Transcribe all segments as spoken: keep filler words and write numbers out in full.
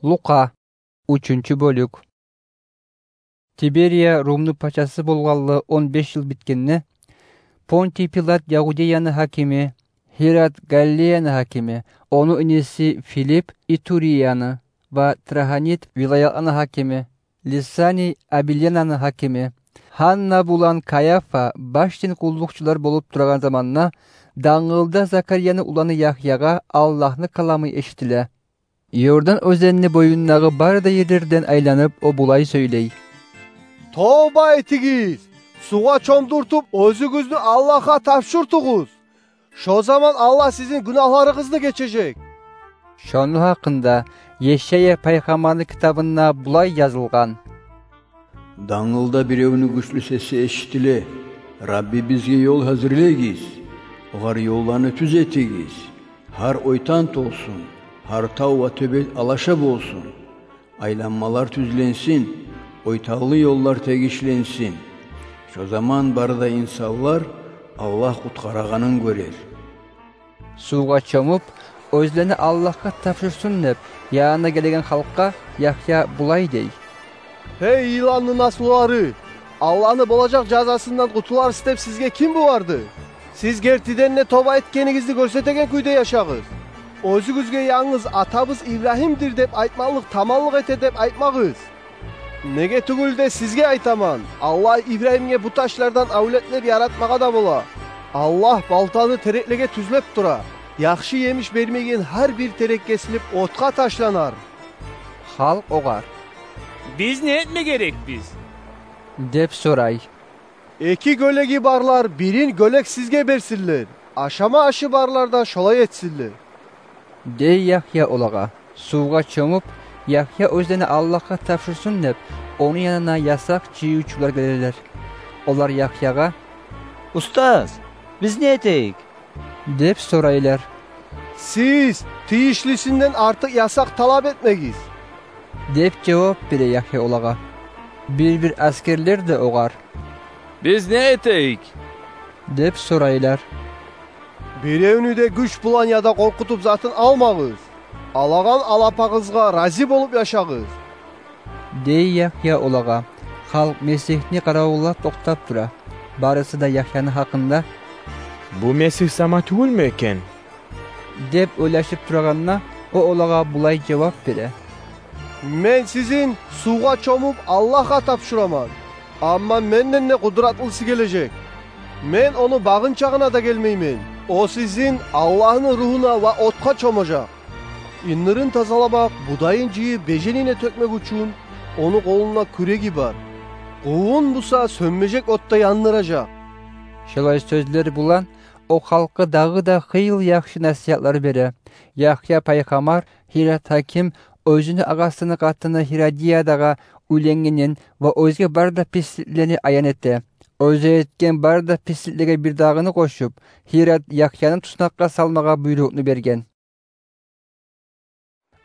Лукъа, уьчюнчю бёлюк. Тиберия Румну пачасы болгъанлы он беш йыл битгенде, Понтий Пилат Ягьудеяны гьакими, Гьирод Галилеяны гьакими, ону иниси Филипп Итурияны ва Трахонит вилаятланы гьакими, Лисаний Абилянаны гьакими, Гьанна булан Къаяфа баш дин къуллукъчулар болуп турагъан заманда, дангылда Закарияны уланы Ягьягъа Аллагьны каламы эшитиле. Иордан оьзенни боюндагъы бары да ерлерден айланып, о булай сёйлей: «Товба этигиз, сувгъа чомдуртуп, оьзюгюзню Аллагьгъа тапшуртугъуз. Шо заман Аллагь сизин гюнагьларыгъызны гечежек». Шону гьакъында Ешая пайхаммарны китабында булай язылгъан: «Дангылда биревню гючлю сеси эшитиле: „Рабби бизге ёл гьазирлегиз, огъар ёлланы тюз этигиз. Гьар ойтан толсун, гьар тав ва тёбет алаша болсун. Айланмалар тюзленсин, ойтанлы ёллар тегишленсин“. Шо заман бары да инсанлар Аллагь къутгъарагъанын гёрер». Сувгъа чомуп, оьзлени Аллагьгъа тапшурсун деп, янына гелеген халкъгъа Ягья булай дей: «Гьей йыланны наслулары! Аллагьны болажакъ жазасындан къутуларсыз деп сизге ким бугъарды? Сиз гертиден де товба этгенигизни гёрсетеген кюйде яшагъыз. Оьзюгюзге янгыз атабыз Ибрагьимдир деп айтмакълыкъ таманлыкъ эте деп айтмагъыз. Неге тюгюл де сизге айтаман, Аллагь Ибрагьимге бу ташлардан авлетлер яратмагъа да бола. Аллагь балтаны тереклеге тюзлеп тура. Яхшы емиш бермейген гьар бир терек кесилип, отгъа ташланар». Халкъ огъар: «Биз не этме герекбиз?» – деп сорай. «Эки гёлеги барлар бирин гёлек сизге берсинлер, ашама ашы барлар да шолай этсинлер», – дей Ягья олагъа. Сувгъа чомуп, Ягья оьзлени Аллагьгъа тапшурсун деп, ону янына ясакъ жыйывчулар гелелер. Олар Ягьягъа: «Устаз, биз не этейик?» – деп сорайлар. «Сиз тийишлисинден артыкъ ясакъ талап этмегиз», – деп жавап бере Ягья олагъа. Бир-бир аскерлер де огъар: «Биз не этейик?» – деп сорайлар. «Биревню де гюч булан яда къоркъутуп затын алмагъыз. Алагъан алапагъызгъа рази болуп яшагъыз», – дей Ягья олагъа. Халкъ Месигьни къаравуллап токътап тура. Барысы да Ягьяны гьакъында: «Бу Месигь сама тюгюлмю экен?» – деп ойлашып турагъанда, о олагъа булай жавап бере: «Мен сизин сувгъа чомуп Аллагьгъа тапшураман. Амма менден де къудратлысы гележек. Мен ону багъынчагъына да гелмеймен. О сизин Аллагьны Ругьуна ва отгъа чомажакъ. Индирин тазаламакъ, будайын жыйып, беженине тёкмек учун ону къолунда кюреги бар. Къувун буса сёнмежек отда яндыражакъ». Шолай сёзлер булан о халкъгъа дагъы да хыйлы яхшы насигьатлар бере. Ягья пайхаммар Гьирод гьаким оьзюню агъасыны къатыны Гьиродиядагъа уьйленгенин ва оьзге бары да писликлени аян эте. Оьзю этген бары да писликлеге бирдагъыны къошуп, Гьирод Ягьяны туснакъгъа салмагъа буйрукъну берген.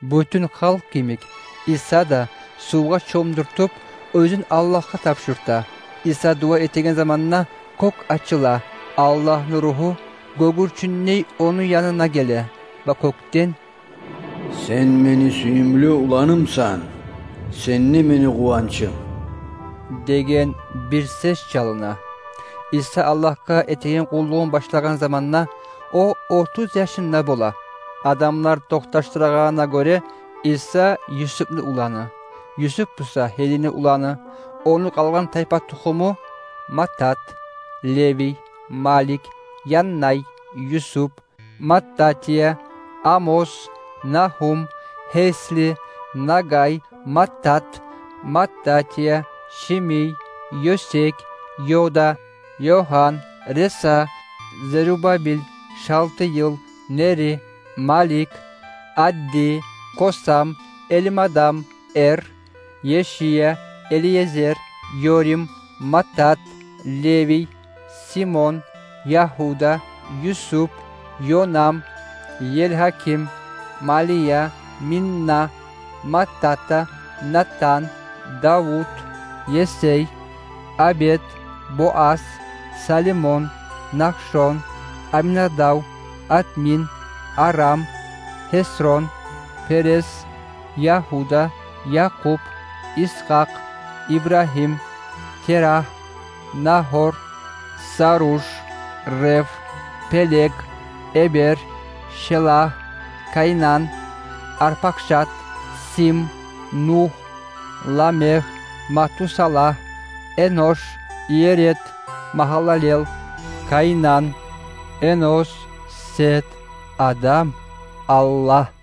Бютюн халкъ йимик, Иса да сувгъа чомдуртуп, оьзюн Аллагьгъа тапшурта. Иса дуа этеген заманда кёк ачыла, Аллагьны Ругьу гёгюрчюндей ону янына геле ва кёкден: «Сен мени сююмлю уланымсан, сен де мени къуванчым», – деген бир сес чалына. Иса Аллагьгъа этеген къуллугъун башлагъан заманда о отуз яшында бола. Адамлар токъташдырагъанына гёре, Иса Юсупну уланы, Юсуп буса Гьелини уланы. Ону къалгъан тайпа тухуму: Маттат, Левий, Малик, Яннай, Юсуп, Маттатия, Амос, Нагьум, Гьесли, Нагай, Маттат, Маттатия, Шимий, Ёсек, Йода, Йохан, Реса, Зерубабил, Шалтыйыл, Нери, Малик, Адди, Косам, Элимадам, Эр, Ешия, Элиезер, Йорим, Маттат, Левий, Симон, Ягьуда, Юсуп, Йонам, Елгьаким, Малия, Минна, Маттата, Натан, Давут, Есей, Абед, Боас, Салимон, Нахшон, Аминадав, Атмин, Арам, Хесрон, Перес, Ягьуда, Якъуб, Исгьакъ, Ибрагьим, Терагь, Нагьор, Саруж, Рев, Пелег, Эбер, Шелагь, Кайнан, Арпакшад, Сим, Нугь, Ламегь, Матусалагь, Энош, Иеред, Магьалалел, Кайнан, Энос, Сет, Адам, Аллагь.